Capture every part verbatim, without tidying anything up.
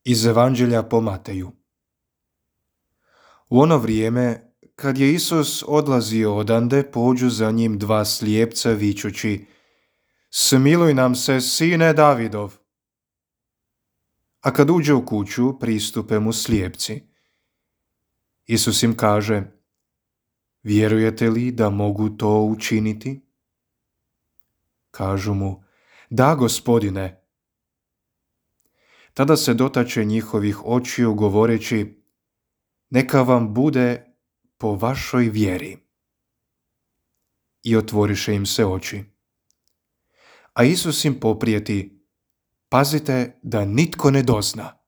Iz Evanđelja po Mateju. U ono vrijeme, kad je Isus odlazio odande, pođu za njim dva slijepca vičući: Smiluj nam se, sine Davidov. A kad uđe u kuću, pristupe mu slijepci. Isus im kaže: Vjerujete li da mogu to učiniti? Kažu mu: Da, Gospodine. Tada se dotače njihovih očiju govoreći: Neka vam bude po vašoj vjeri. I otvoriše im se oči. A Isus im poprijeti: Pazite da nitko ne dozna.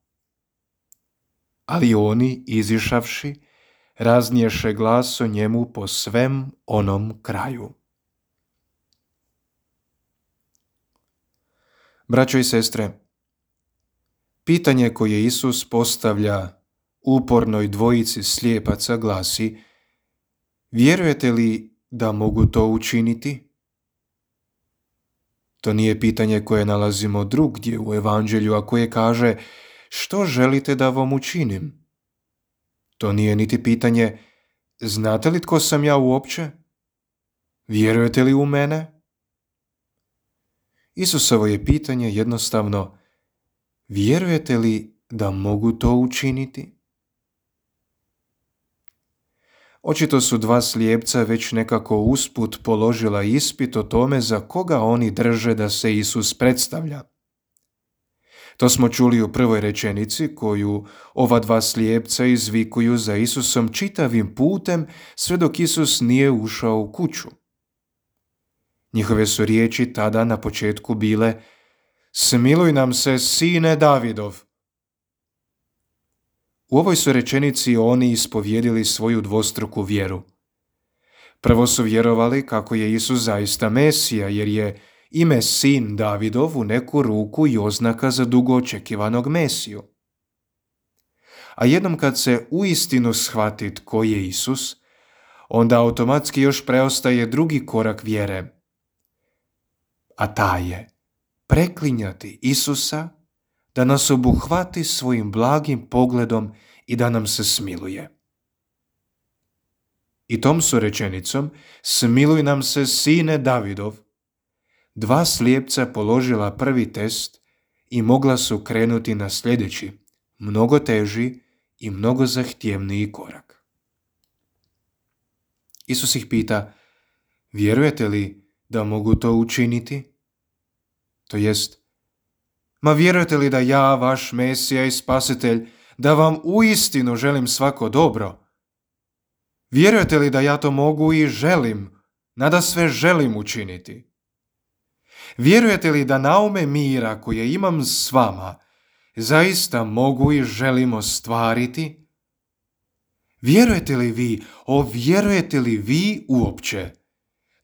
Ali oni, izišavši, razniješe glas o njemu po svem onom kraju. Braćo i sestre, pitanje koje Isus postavlja upornoj dvojici slijepaca glasi: Vjerujete li da mogu to učiniti? To nije pitanje koje nalazimo drugdje u Evanđelju, a koje kaže: Što želite da vam učinim? To nije niti pitanje: Znate li tko sam ja uopće? Vjerujete li u mene? Isusovo je pitanje jednostavno: Vjerujete li da mogu to učiniti? Očito su dva slijepca već nekako usput položila ispit o tome za koga oni drže da se Isus predstavlja. To smo čuli u prvoj rečenici koju ova dva slijepca izvikuju za Isusom čitavim putem sve dok Isus nije ušao u kuću. Njihove su riječi tada na početku bile: Smiluj nam se, sine Davidov. U ovoj su rečenici oni ispovjedili svoju dvostruku vjeru. Prvo su vjerovali kako je Isus zaista Mesija, jer je ime sin Davidov u neku ruku i oznaka za dugo očekivanog Mesiju. A jednom kad se uistinu shvati tko je Isus, onda automatski još preostaje drugi korak vjere. A taj je preklinjati Isusa da nas obuhvati svojim blagim pogledom i da nam se smiluje. I tom su rečenicom: Smiluj nam se, sine Davidov, dva slijepca položila prvi test i mogla su krenuti na sljedeći, mnogo teži i mnogo zahtjevniji korak. Isus ih pita: Vjerujete li da mogu to učiniti? To jest, ma vjerujete li da ja, vaš Mesija i Spasitelj, da vam uistinu želim svako dobro? Vjerujete li da ja to mogu i želim, nadasve želim učiniti? Vjerujete li da naume mira koje imam s vama zaista mogu i želim ostvariti? Vjerujete li vi, o vjerujete li vi uopće,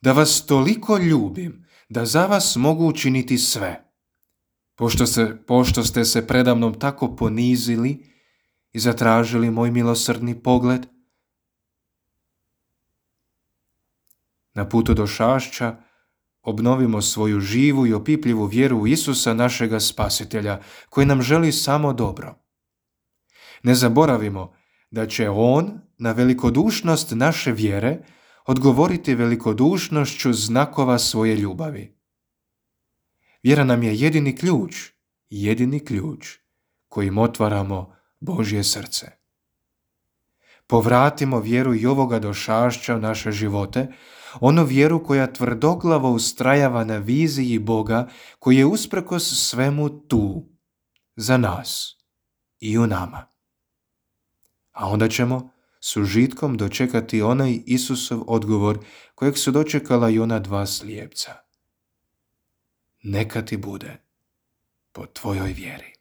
da vas toliko ljubim da za vas mogu učiniti sve? Pošto, se, pošto ste se predamnom tako ponizili i zatražili moj milosrdni pogled? Na putu do Šašća obnovimo svoju živu i opipljivu vjeru u Isusa, našega Spasitelja, koji nam želi samo dobro. Ne zaboravimo da će On na velikodušnost naše vjere odgovoriti velikodušnošću znakova svoje ljubavi. Vjera nam je jedini ključ, jedini ključ kojim otvaramo Božje srce. Povratimo vjeru i ovoga došašća u naše živote, onu vjeru koja tvrdoglavo ustrajava na viziji Boga koji je usprkos svemu tu, za nas i u nama. A onda ćemo s užitkom dočekati onaj Isusov odgovor kojeg su dočekala i ona dva slijepca. Neka ti bude po tvojoj vjeri.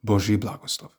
Božji blagoslov.